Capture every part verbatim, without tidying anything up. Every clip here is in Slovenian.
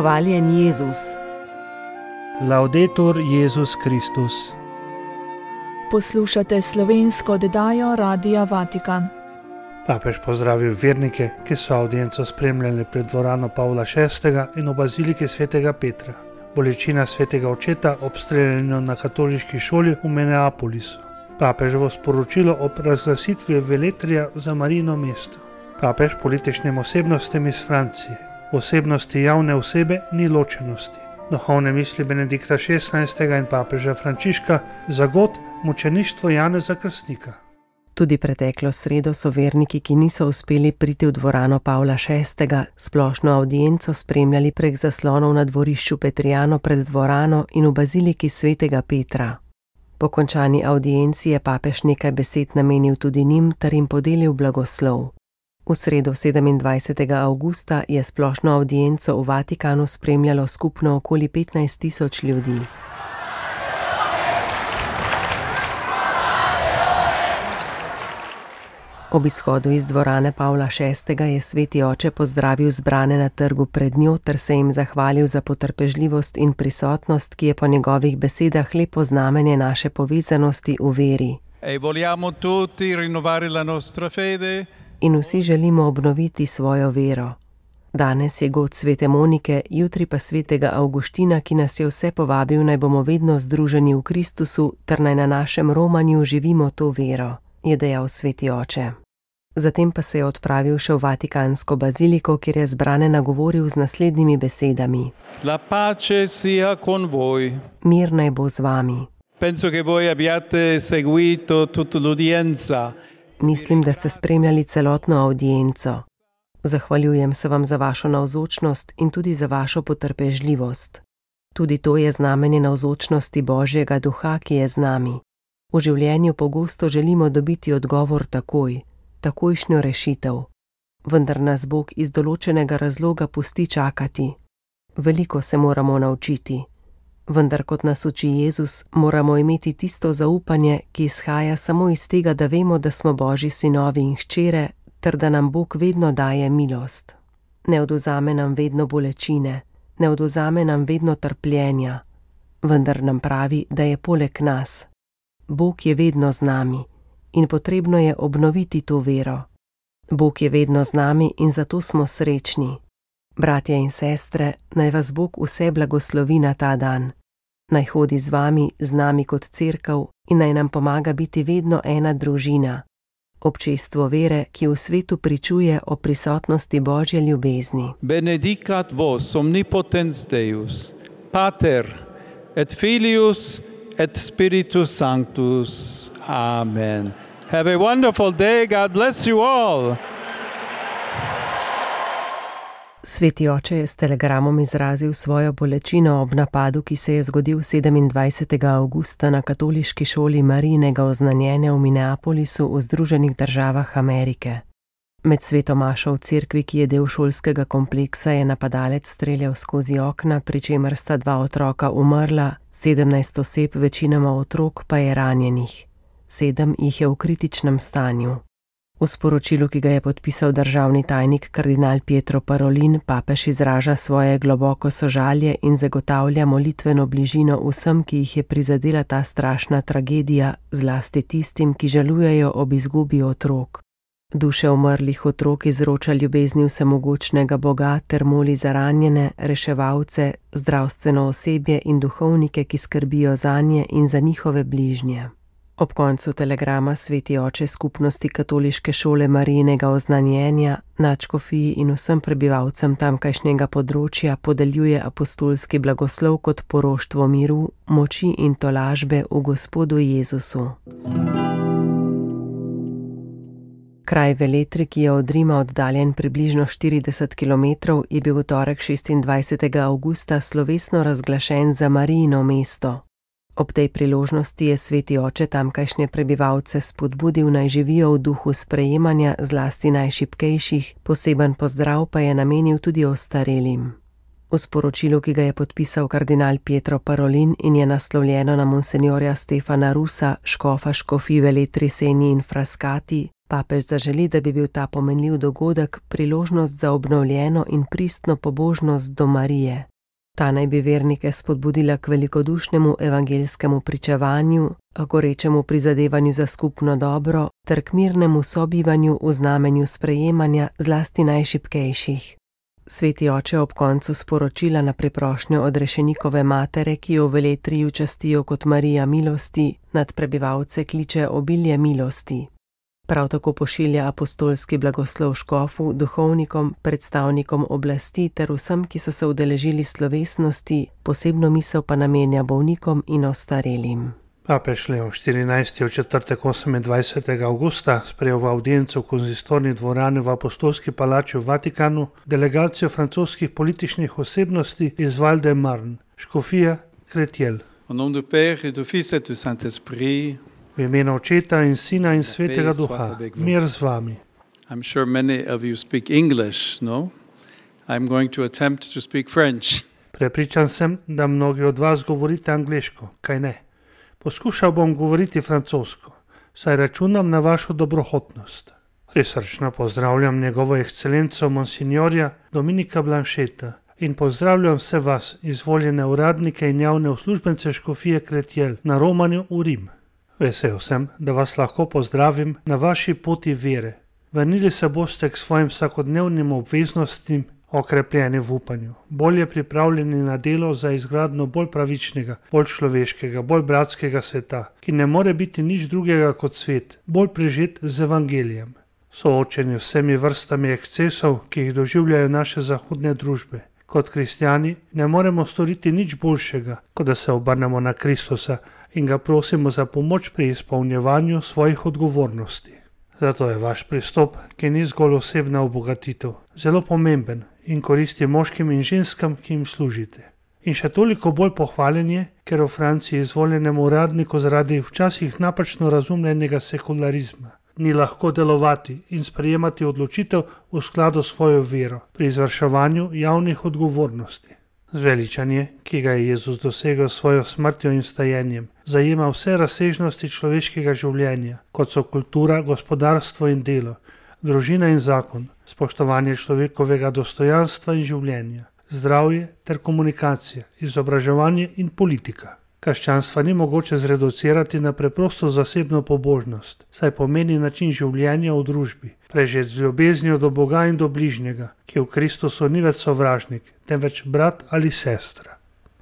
Hvaljen Jezus. Laudetur Jezus Kristus. Poslušate slovensko oddajo Radia Vatikan. Papež pozdravil vernike, ki so avdienco spremljali pred dvorano Pavla šestega in v baziliki svetega Petra. Bolečina svetega očeta ob streljanju na katoliški šoli v Minneapolisu. Papeževo sporočilo ob razglasitvi veletrija za Marijino mesto. Papež političnim osebnostim iz Francije. V osebnosti javne osebe ni ločenosti. Duhovne misli Benedikta šestnajstega in papeža Frančiška za god mučeništvo Janeza Krstnika. Tudi preteklo sredo so verniki, ki niso uspeli priti v dvorano Pavla šestega, splošno avdienco spremljali prek zaslonov na dvorišču Petrijano pred dvorano in v baziliki svetega Petra. Po končani avdienci je papež nekaj besed namenil tudi njim ter jim podelil blagoslov. V sredo sedemindvajsetega avgusta je splošno avdienco v Vatikanu spremljalo skupno okoli petnajst tisoč ljudi. Ob izhodu iz dvorane Pavla šestega je sveti oče pozdravil zbrane na trgu pred njo ter se jim zahvalil za potrpežljivost in prisotnost, ki je po njegovih besedah lepo znamenje naše povezanosti v veri. E vogliamo tutti rinnovare la nostra fede. In vsi želimo obnoviti svojo vero. Danes je god svete Monike, jutri pa svetega Avguština, ki nas je vse povabil, naj bomo vedno združeni v Kristusu ter naj na našem romanju živimo to vero, je dejal sveti oče. Zatem pa se je odpravil še v Vatikansko baziliko, kjer je zbrane nagovoril z naslednjimi besedami. La pace sia con voi. Mir naj bo z vami. Penso che voi abbiate seguito tutta l'udienza. Mislim, da ste spremljali celotno avdienco. Zahvaljujem se vam za vašo navzočnost in tudi za vašo potrpežljivost. Tudi to je znamenje navzočnosti Božjega duha, ki je z nami. V življenju pogosto želimo dobiti odgovor takoj, takojšnjo rešitev. Vendar nas Bog iz določenega razloga pusti čakati. Veliko se moramo naučiti. Vendar kot nas uči Jezus, moramo imeti tisto zaupanje, ki izhaja samo iz tega, da vemo, da smo Božji sinovi in hčere, ter da nam Bog vedno daje milost. Ne odvzame nam vedno bolečine, ne odvzame nam vedno trpljenja, vendar nam pravi, da je poleg nas. Bog je vedno z nami in potrebno je obnoviti to vero. Bog je vedno z nami in zato smo srečni. Bratje in sestre, naj vas Bog vse blagoslovi na ta dan. Naj hodi z vami, z nami kot cerkev in naj nam pomaga biti vedno ena družina. Občestvo vere, ki v svetu pričuje o prisotnosti Božje ljubezni. Benedicat vos omnipotens Deus, Pater et Filius et Spiritus Sanctus. Amen. Have a wonderful day. God bless you all. Sveti oče je s telegramom izrazil svojo bolečino ob napadu, ki se je zgodil sedemindvajsetega avgusta na katoliški šoli Marijinega oznanjenja v Minneapolisu v Združenih državah Amerike. Med sveto mašo v cerkvi, ki je del šolskega kompleksa, je napadalec streljal skozi okna, pri čemer sta dva otroka umrla, sedemnajst oseb, večinoma otrok, pa je ranjenih. Sedem jih je v kritičnem stanju. V sporočilu, ki ga je podpisal državni tajnik kardinal Pietro Parolin, papež izraža svoje globoko sožalje in zagotavlja molitveno bližino vsem, ki jih je prizadela ta strašna tragedija, zlasti tistim, ki žalujejo ob izgubi otrok. Duše umrlih otrok izroča ljubezni vsemogočnega Boga ter moli za ranjene, reševalce, zdravstveno osebje in duhovnike, ki skrbijo zanje in za njihove bližnje. Ob koncu telegrama sveti oče skupnosti katoliške šole Marijinega oznanjenja, nadškofiji in vsem prebivalcem tamkajšnjega področja podeljuje apostolski blagoslov kot poroštvo miru, moči in tolažbe v Gospodu Jezusu. Kraj Veletri, ki je od Rima oddaljen približno štirideset kilometrov, je bil v torek šestindvajsetega avgusta slovesno razglašen za Marijino mesto. Ob tej priložnosti je sveti oče tamkajšnje prebivalce spodbudil, naj živijo v duhu sprejemanja zlasti najšibkejših, poseben pozdrav pa je namenil tudi ostarelim. V sporočilu, ki ga je podpisal kardinal Pietro Parolin in je naslovljeno na monsenjorja Stefana Rusa, škofa škofij Veletri Seni in Frascati, Papež zaželi, da bi bil ta pomenljiv dogodek priložnost za obnovljeno in pristno pobožnost do Marije. Ta naj bi vernike spodbudila k velikodušnemu evangeljskemu pričevanju, gorečemu prizadevanju za skupno dobro ter k mirnemu sobivanju v znamenju sprejemanja zlasti najšibkejših. Sveti oče ob koncu sporočila na priprošnjo odrešenikove matere, ki jo v Veletriju častijo kot Marija milosti, nad prebivalce kliče obilje milosti. Prav tako pošilja apostolski blagoslov škofu, duhovnikom, predstavnikom oblasti ter vsem, ki so se udeležili slovesnosti, posebno misel pa namenja bolnikom in ostarelim. Papež Leon štirinajsti v četrtek osemindvajsetega avgusta sprejel v avdiencu v konzistorni dvorani v apostolski palači v Vatikanu delegacijo francoskih političnih osebnosti iz Val de Marne, škofija Créteil. Au nom du Père et du Fils et du Saint-Esprit. V imenu Očeta in Sina in Svetega Duha, mir z vami. I'm sure many of you speak English, no? I'm going to attempt to speak French. Prepričan sem, da mnogi od vas govorite angleško, kaj ne? Poskušal bom govoriti francosko, saj računam na vašo dobrohotnost. Prisrčno pozdravljam njegovo ekscelenco monsignorja Dominika Blancheta in pozdravljam vse vas, izvoljene uradnike in javne uslužbence škofije Créteil na romanju v Rim. Vesel sem, da vas lahko pozdravim na vaši poti vere. Vrnili se boste k svojim vsakodnevnim obveznostim, okrepljeni v upanju, bolje pripravljeni na delo za izgradnjo bolj pravičnega, bolj človeškega, bolj bratskega sveta, ki ne more biti nič drugega kot svet, bolj prežet z evangelijem. Soočeni vsemi vrstami ekscesov, ki jih doživljajo naše zahodne družbe. Kot kristjani ne moremo storiti nič boljšega, kot da se obrnemo na Kristusa in ga prosimo za pomoč pri izpolnjevanju svojih odgovornosti. Zato je vaš pristop, ki ni zgolj osebna obogatitev, zelo pomemben in koristi moškim in ženskam, ki jim služite. In še toliko bolj pohvaljen je, ker v Franciji izvoljenemu uradniku zaradi včasih napačno razumljenega sekularizma ni lahko delovati in sprejemati odločitev v skladu s svojo vero pri izvrševanju javnih odgovornosti. Zveličanje, ki ga je Jezus dosegel s svojo smrtjo in vstajenjem, zajema vse razsežnosti človeškega življenja, kot so kultura, gospodarstvo in delo, družina in zakon, spoštovanje človekovega dostojanstva in življenja, zdravje ter komunikacija, izobraževanje in politika. Krščanstva ni mogoče zreducirati na preprosto zasebno pobožnost, saj pomeni način življenja v družbi, prežet z ljubeznijo do Boga in do bližnjega, ki v Kristusu ni več sovražnik, temveč brat ali sestra.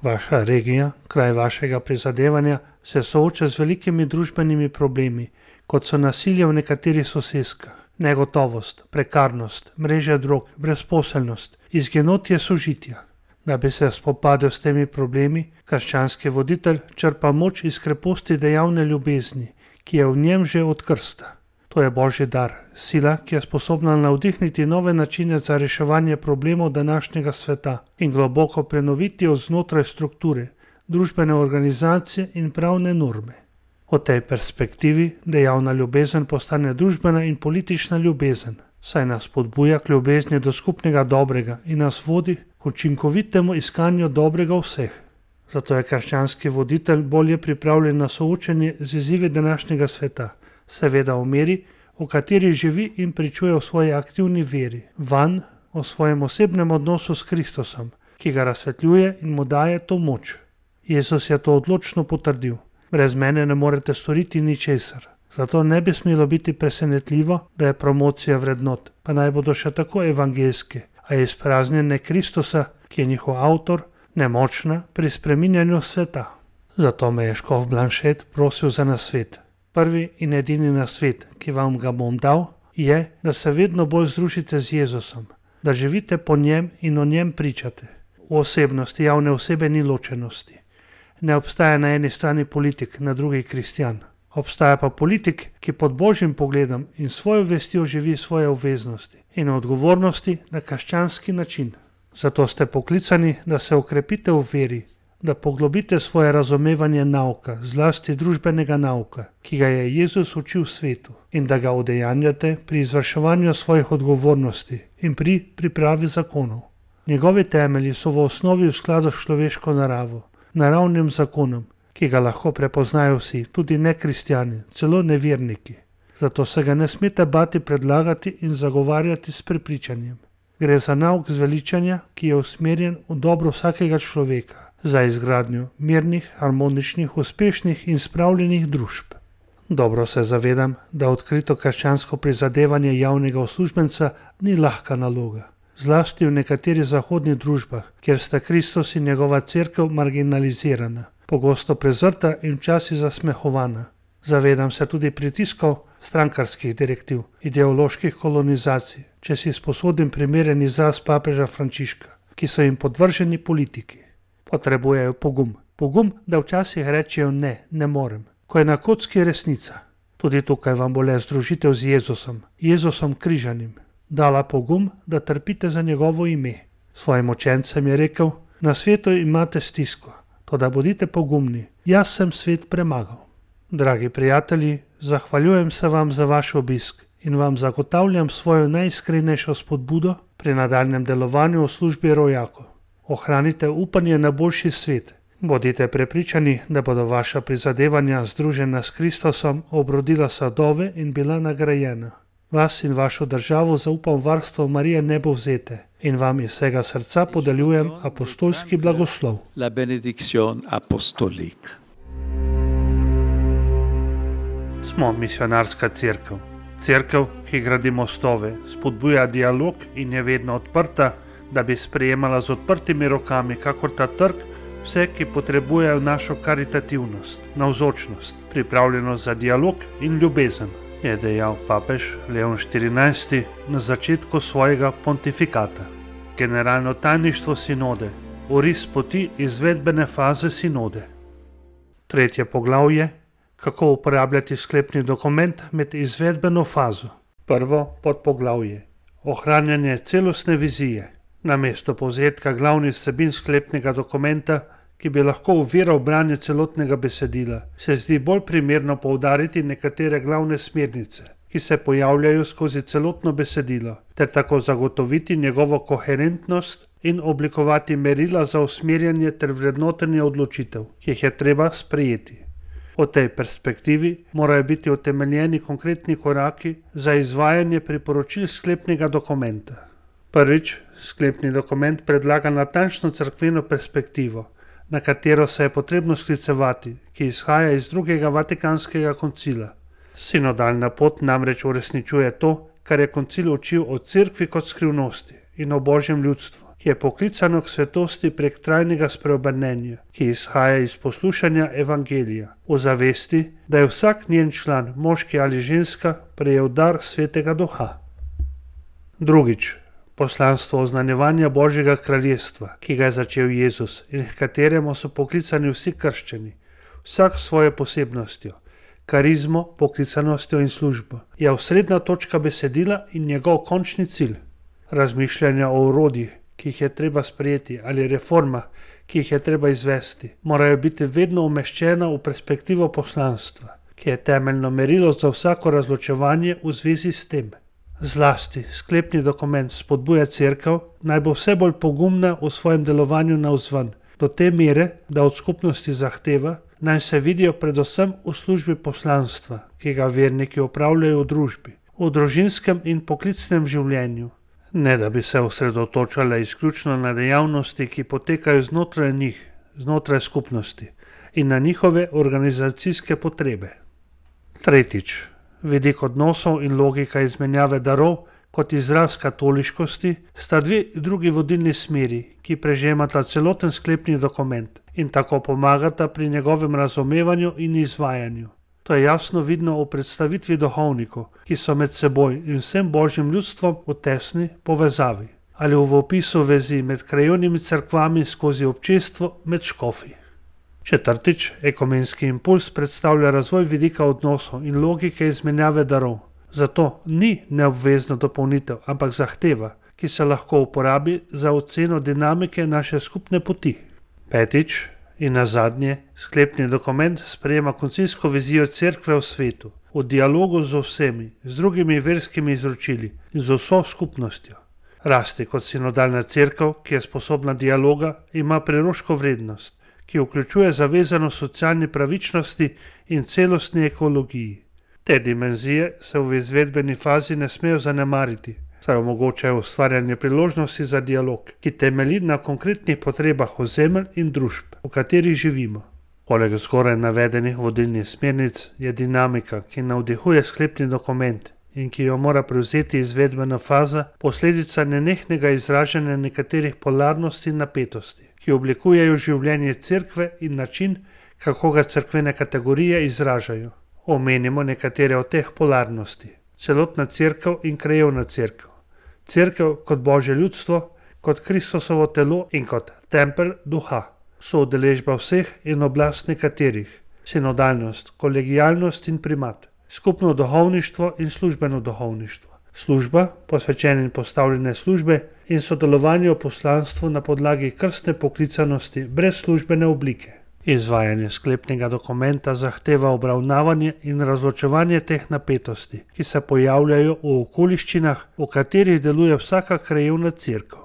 Vaša regija, kraj vašega prizadevanja, se sooča z velikimi družbenimi problemi, kot so nasilje v nekaterih soseskah, negotovost, prekarnost, mreže drog, brezposelnost, izginotje sožitja. Da bi se spopadel s temi problemi, krščanski voditelj črpa moč iz kreposti dejavne ljubezni, ki je v njem že od krsta. To je Božji dar, sila, ki je sposobna navdihniti nove načine za reševanje problemov današnjega sveta in globoko prenoviti od znotraj strukture, družbene organizacije in pravne norme. V tej perspektivi dejavna ljubezen postane družbena in politična ljubezen, saj nas spodbuja k ljubezni do skupnega dobrega in nas vodi k učinkovitemu iskanju dobrega vseh. Zato je krščanski voditelj bolje pripravljen na soočenje z izzivi današnjega sveta, seveda v meri, v kateri živi in pričuje v svoji aktivni veri, vanj, o svojem osebnem odnosu s Kristusom, ki ga razsvetljuje in mu daje to moč. Jezus je to odločno potrdil. Brez mene ne morete storiti ničesar. Zato ne bi smelo biti presenetljivo, da je promocija vrednot, pa naj bodo še tako evangeljske, a je izpraznjenje Kristusa, ki je njihov avtor, nemočna pri spreminjanju sveta. Zato me je škof Blanchet prosil za nasvet. Prvi in edini nasvet, ki vam ga bom dal, je, da se vedno bolj združite z Jezusom, da živite po njem in o njem pričate. V osebnosti javne osebe ni ločenosti. Ne obstaja na eni strani politik, na drugi kristjan. Obstaja pa politik, ki pod Božjim pogledom in svojo vestjo živi svoje obveznosti in odgovornosti na krščanski način. Zato ste poklicani, da se okrepite v veri, da poglobite svoje razumevanje nauka, zlasti družbenega nauka, ki ga je Jezus učil svetu, in da ga udejanjate pri izvrševanju svojih odgovornosti in pri pripravi zakonov. Njegovi temelji so v osnovi v skladu s človeško naravo, naravnim zakonom, ki ga lahko prepoznajo vsi, tudi nekristjani, celo neverniki. zato se ga ne smete bati predlagati in zagovarjati s prepričanjem. Gre za nauk zveličanja, ki je usmerjen v dobro vsakega človeka, za izgradnjo mirnih, harmoničnih, uspešnih in spravljenih družb. Dobro se zavedam, da odkrito krščansko prizadevanje javnega uslužbenca ni lahka naloga, zlasti v nekaterih zahodnih družbah, kjer sta Kristus in njegova cerkev marginalizirana, pogosto prezrta in včasih zasmehovana. Zavedam se tudi pritiskov strankarskih direktiv, ideoloških kolonizacij, če si sposodim primeren izraz papeža Frančiška, ki so jim podvrženi politiki. Potrebujejo pogum. Pogum, da včasih rečejo ne, ne morem, ko je na kocki resnica. Tudi tukaj vam bo le združitev z Jezusom, Jezusom križanim, dala pogum, da trpite za njegovo ime. Svojim učencem je rekel, na svetu imate stisko, toda bodite pogumni, jaz sem svet premagal. Dragi prijatelji, zahvaljujem se vam za vaš obisk in vam zagotavljam svojo najiskrenejšo spodbudo pri nadaljnjem delovanju v službi rojakov. Ohranite upanje na boljši svet. Bodite prepričani, da bodo vaša prizadevanja združena s Kristusom obrodila sadove in bila nagrajena. Vas in vašo državo zaupam varstvo Marije Nebovzete in vam iz vsega srca podeljujem apostolski blagoslov. La benediction apostolique. Smo misionarska cerkev. Cerkev, ki gradi mostove, spodbuja dialog in je vedno odprta, da bi sprejemala z odprtimi rokami, kakor ta trg, vse, ki potrebujejo našo karitativnost, navzočnost, pripravljenost za dialog in ljubezen, je dejal papež Leon štirinajsti na začetku svojega pontifikata. Generalno tajništvo sinode, oris poti izvedbene faze sinode. Tretje poglavje, kako uporabljati sklepni dokument med izvedbeno fazo. Prvo podpoglavje, ohranjanje celostne vizije. Namesto povzetka glavnih vsebin sklepnega dokumenta, ki bi lahko oviral branje celotnega besedila, se zdi bolj primerno poudariti nekatere glavne smernice, ki se pojavljajo skozi celotno besedilo, ter tako zagotoviti njegovo koherentnost in oblikovati merila za usmerjanje ter vrednotenje odločitev, ki jih je treba sprejeti. V tej perspektivi morajo biti utemeljeni konkretni koraki za izvajanje priporočil sklepnega dokumenta. Prvič, sklepni dokument predlaga natančno cerkveno perspektivo, na katero se je potrebno sklicevati, ki izhaja iz drugega Vatikanskega koncila. Sinodalna pot namreč uresničuje to, kar je koncil učil o cerkvi kot skrivnosti in o božjem ljudstvu, ki je poklicano k svetosti prek trajnega spreobrnenja, ki izhaja iz poslušanja evangelija, v zavesti, da je vsak njen član, moški ali ženska, prejel dar svetega duha. Drugič, poslanstvo oznanjevanja Božjega kraljestva, ki ga je začel Jezus in h kateremu so poklicani vsi krščani, vsak s svojo posebnostjo, karizmo, poklicanostjo in službo, je osrednja točka besedila in njegov končni cilj. Razmišljanja o orodjih, ki jih je treba sprejeti, ali reformah, ki jih je treba izvesti, morajo biti vedno umeščena v perspektivo poslanstva, ki je temeljno merilo za vsako razločevanje v zvezi s tem. Zlasti sklepni dokument spodbuja cerkev, naj bo vse bolj pogumna v svojem delovanju navzven, do te mere, da od skupnosti zahteva, naj se vidijo predvsem v službi poslanstva, ki ga verniki opravljajo v družbi, v družinskem in poklicnem življenju. Ne da bi se osredotočale izključno na dejavnosti, ki potekajo znotraj njih, znotraj skupnosti in na njihove organizacijske potrebe. Tretjič, vidik odnosov in logika izmenjave darov kot izraz katoliškosti sta dve drugi vodilni smeri, ki prežemata celoten sklepni dokument in tako pomagata pri njegovem razumevanju in izvajanju. To je jasno vidno v predstavitvi duhovnikov, ki so med seboj in vsem božjim ljudstvom v tesni povezavi, ali v opisu vezi med krajevnimi cerkvami skozi občestvo med škofi. Četrtič, ekumenski impuls predstavlja razvoj vidika odnosov in logike izmenjave darov. Zato ni neobvezna dopolnitev, ampak zahteva, ki se lahko uporabi za oceno dinamike naše skupne poti. Petič, in nazadnje, sklepni dokument sprejema koncilsko vizijo cerkve v svetu, v dialogu z vsemi, z drugimi verskimi izročili in z vso skupnostjo. Rasti kot sinodalna cerkev, ki je sposobna dialoga, ima preroško vrednost, ki vključuje zavezano socialni pravičnosti in celostni ekologiji. Te dimenzije se v izvedbeni fazi ne smejo zanemariti, saj omogočajo ustvarjanje priložnosti za dialog, ki temelji na konkretnih potrebah ozemelj in družb, v katerih živimo. Poleg zgoraj navedenih vodilnih smernic je dinamika, ki navdihuje sklepni dokument in ki jo mora prevzeti izvedbena faza, posledica nenehnega izražanja nekaterih polarnosti in napetosti, ki oblikujejo življenje cerkve in način, kako ga cerkvene kategorije izražajo. Omenimo nekatere od teh polarnosti. Celotna cerkev in krajevna cerkev. Cerkev kot Božje ljudstvo, kot Kristusovo telo in kot tempelj duha. Soudeležba vseh in oblast nekaterih. Sinodalnost, kolegijalnost in primat. Skupno duhovništvo in službeno duhovništvo. Služba, posvečene in postavljene službe in sodelovanje v poslanstvu na podlagi krstne poklicanosti brez službene oblike. Izvajanje sklepnega dokumenta zahteva obravnavanje in razločevanje teh napetosti, ki se pojavljajo v okoliščinah, v katerih deluje vsaka krajevna cerkev.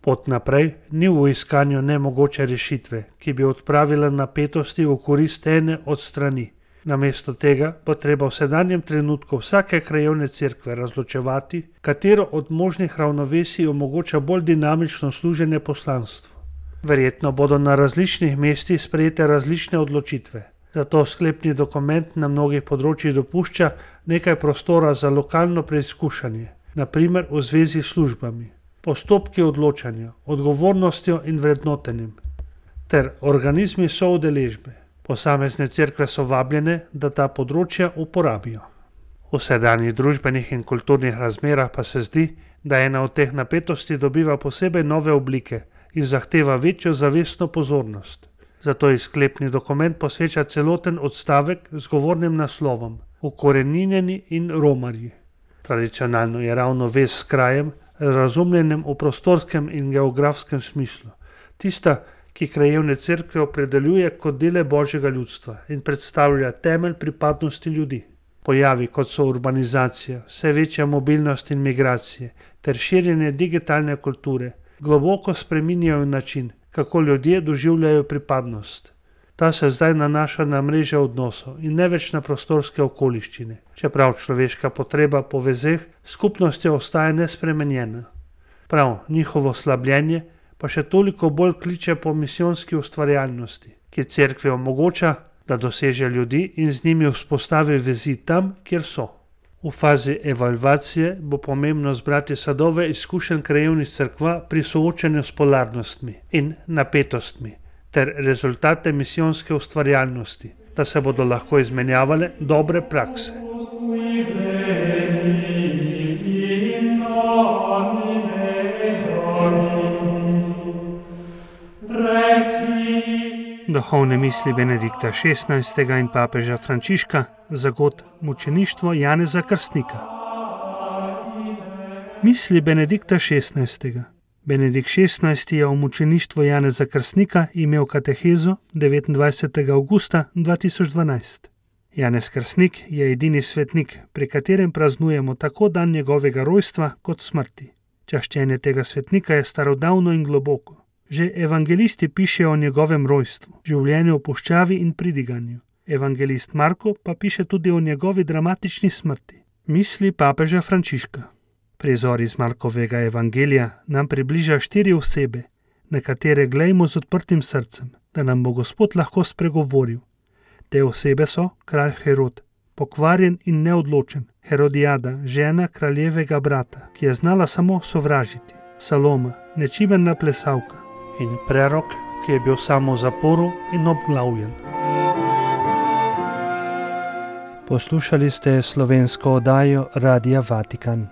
Pot naprej ni v iskanju nemogoče rešitve, ki bi odpravila napetosti v korist ene od strani. Namesto tega bo treba v sedanjem trenutku vsake krajevne cerkve razločevati, katero od možnih ravnovesij omogoča bolj dinamično služenje poslanstvu. Verjetno bodo na različnih mestih sprejete različne odločitve, zato sklepni dokument na mnogih področjih dopušča nekaj prostora za lokalno preizkušanje, na primer v zvezi s službami, postopki odločanja, odgovornostjo in vrednotenjem, ter organizmi soudeležbe. Posamezne cerkve so vabljene, da ta področja uporabijo. V sedanjih družbenih in kulturnih razmerah pa se zdi, da ena od teh napetosti dobiva posebej nove oblike in zahteva večjo zavestno pozornost. Zato je sklepni dokument posveča celoten odstavek z govornim naslovom Ukoreninjeni in romarji. Tradicionalno je ravno vez s krajem, razumljenem v prostorskem in geografskem smislu, tista, ki krajevne cerkve opredeljuje kot dele Božjega ljudstva in predstavlja temelj pripadnosti ljudi. Pojavi, kot so urbanizacija, vse večja mobilnost in migracije ter širjenje digitalne kulture, globoko spreminjajo način, kako ljudje doživljajo pripadnost. Ta se zdaj nanaša na mreže odnosov in ne več na prostorske okoliščine, čeprav človeška potreba po vezeh skupnostjo ostaja nespremenjena. Prav njihovo slabljenje pa še toliko bolj kliče po misijonski ustvarjalnosti, ki cerkvi omogoča, da doseže ljudi in z njimi vzpostavi vezi tam, kjer so. V fazi evalvacije bo pomembno zbrati sadove izkušenj krajevnih cerkva pri soočanju s polarnostmi in napetostmi ter rezultate misijonske ustvarjalnosti, da se bodo lahko izmenjavale dobre prakse. Duhovne misli Benedikta šestnajstega in papeža Frančiška za god mučeništvo Janeza Krstnika. Misli Benedikta šestnajstega. Benedikt šestnajsti je o mučeništvu Janeza Krstnika imel katehezo devetindvajsetega avgusta dva tisoč dvanajst. Janez Krstnik je edini svetnik, pri katerem praznujemo tako dan njegovega rojstva kot smrti. Čaščenje tega svetnika je starodavno in globoko. Že evangelisti pišejo o njegovem rojstvu, življenju v puščavi in pridiganju. Evangelist Marko pa piše tudi o njegovi dramatični smrti. Misli papeža Frančiška. Prizor iz Markovega evangelija nam približa štiri osebe, na katere glejmo z odprtim srcem, da nam bo Gospod lahko spregovoril. Te osebe so kralj Herod, pokvarjen in neodločen, Herodijada, žena kraljevega brata, ki je znala samo sovražiti, Saloma, nečimrna plesavka, in prerok, ki je bil samo v zaporu in obglavljen. Poslušali ste slovensko oddajo Radia Vatikan.